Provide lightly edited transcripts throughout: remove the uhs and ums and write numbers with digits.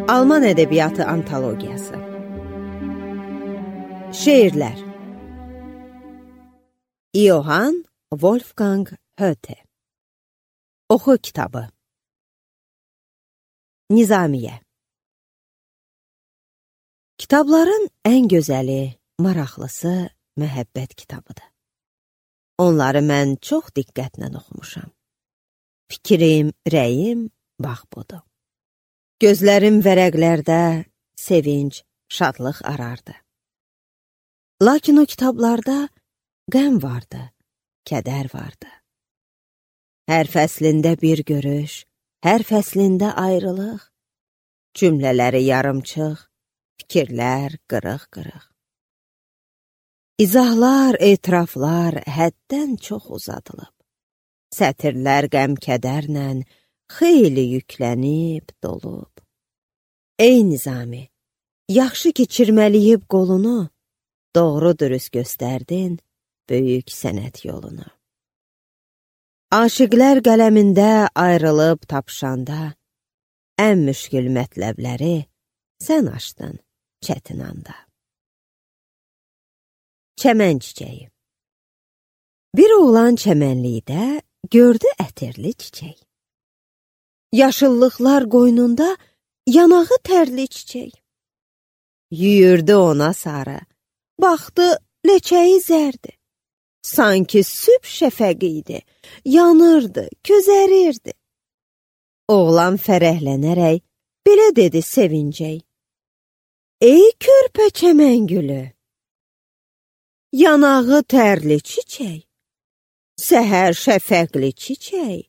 Alman ədəbiyyatı antologiyası. Şeirlər. Johann Wolfgang Goethe. Oxu kitabı. Nizamiye. Kitabların ən gözəli, maraqlısı məhəbbət kitabıdır. Onları mən çox diqqətlə oxumuşam. Fikrim, rəyim, bax budur. Gözlərim vərəqlərdə sevinç, şadlıq arardı. Lakin o kitablarda qəm vardı, kədər vardı. Hər fəslində bir görüş, hər fəslində ayrılıq, cümlələri yarımçıq, fikirlər qırıq-qırıq. İzahlar, etiraflar həddən çox uzadılıb. Sətirlər qəm-kədərlə xeyli yüklənib, dolub. Ey Nizami, yaxşı ki çirməliyib qolunu, doğru dürüst göstərdin böyük sənət yolunu. Aşiqlər qələmində ayrılıb tapşanda, ən müşkül mətləbləri sən açdın çətin anda. Çəmən çiçəyi. Bir oğlan çəmənlikdə gördü ətirli çiçək. Yaşıllıqlar qoynunda yanağı tərli çiçək. Yüyürdü ona sarı, baxdı ləçəyi zərdi. Sanki sübh şəfəqi idi, yanırdı, közərirdi. Oğlan fərəhlənərək belə dedi sevincək. Ey körpə çəmən gülü! Yanağı tərli çiçək, səhər şəfəqli çiçək,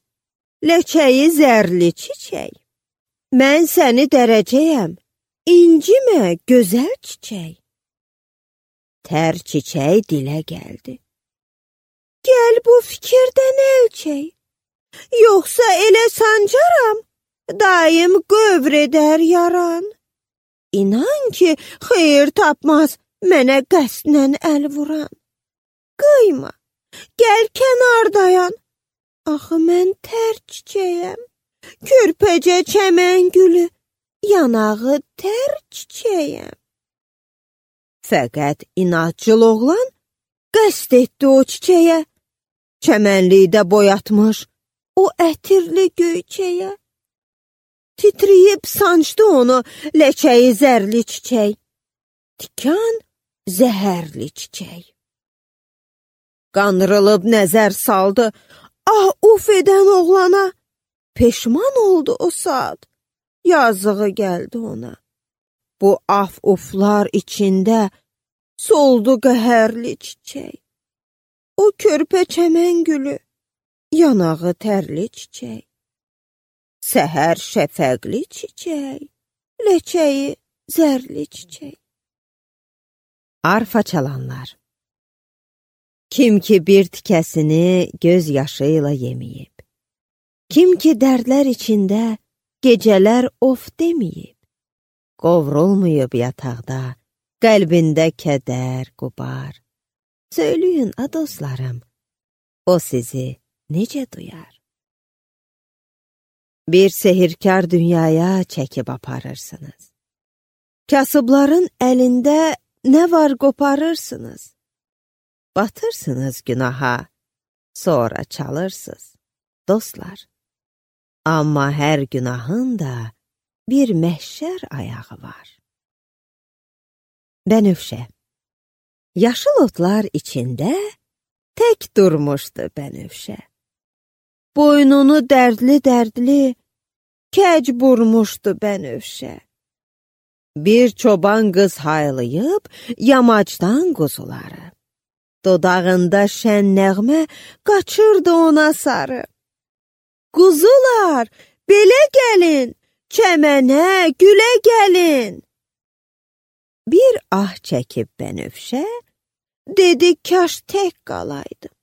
ləçəyi zərli çiçək. Mən səni dərəcəyəm, incimə gözəl çiçək. Tər çiçək dilə gəldi. Gəl bu fikirdən ölçək, yoxsa elə sancaram, daim qövr edər yaran. İnan ki, xeyir tapmaz mənə qəsdlə əl vuran. Qıyma, gəl kənardayan, axı mən tər çiçəyəm, körpəcə çəmən gülü, yanağı tər çiçəyəm. Fəqət inatçıl oğlan qəsd etdi o çiçəyə, çəmənlikdə boyatmış o ətirli göyçəyə. Titriyib sancdı onu ləçəyi zərli çiçək, tikan zəhərli çiçək. Qandırılıb nəzər saldı, ah uf edən oğlana, peşman oldu o saat, yazığı gəldi ona. Bu af-uflar içində soldu qəhərli çiçək. O körpə çəmən gülü, yanağı tərli çiçək. Səhər şəfəqli çiçək, ləçəyi zərli çiçək. Arfa çalanlar. Kim ki bir tikəsini göz yaşı ilə yeməyib, kim ki dərdlər içində gecələr of deməyib, qovrulmayıb yataqda, qəlbində kədər, qubar. Söyləyin, a dostlarım, o sizi necə duyar? Bir sehirkar dünyaya çəkib aparırsınız. Kasıbların əlində nə var qoparırsınız. Batırsınız günaha, sonra çalırsınız, dostlar. Amma hər günahın da bir məhşər ayağı var. Bənövşə. Yaşıl otlar içində tək durmuşdu bənövşə. Boynunu dərdli-dərdli kəc burmuşdu bənövşə. Bir çoban qız haylayıb yamacdan quzuları. Dodağında şən nəğmə qaçırdı ona sarı. Quzular, belə gəlin, çəmənə, gülə gəlin. Bir ah çəkib bənövşə, dedi kaş tək qalaydım.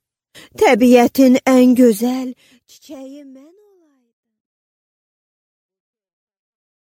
Təbiətin ən gözəl çiçəyi mən.